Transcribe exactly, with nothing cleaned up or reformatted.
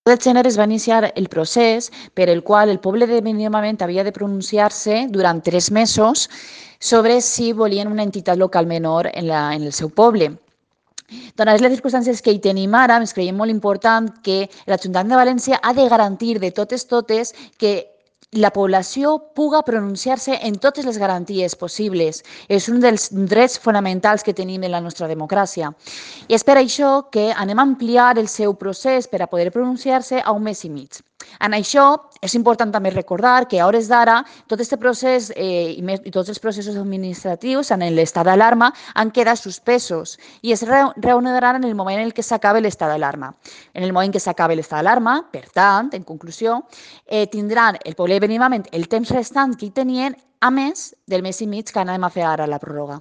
del gènere es va iniciar el procés per el qual el poble de Benimament havia de pronunciar-se durant tres mesos sobre si volien una entitat local menor en, la, en el seu poble. Donades les circumstàncies que hi tenim ara, ens creiem molt important que l'Ajuntament de València ha de garantir de totes totes que la població puga pronunciar-se en totes les garanties possibles. És un dels drets fonamentals que tenim en la nostra democràcia. I és per això que anem a ampliar el seu procés per a poder pronunciar-se a un mes i mig. En això és important també recordar que a hores d'ara tot aquest procés eh, i, més, i tots els processos administratius en l'estat d'alarma han quedat suspesos i es reanudaran en el moment en què s'acabi l'estat d'alarma. En el moment en què s'acabi l'estat d'alarma, per tant, en conclusió, eh, tindran el poble de Benimament el temps restant que hi tenien, a més del mes i mig que anem a fer ara la pròrroga.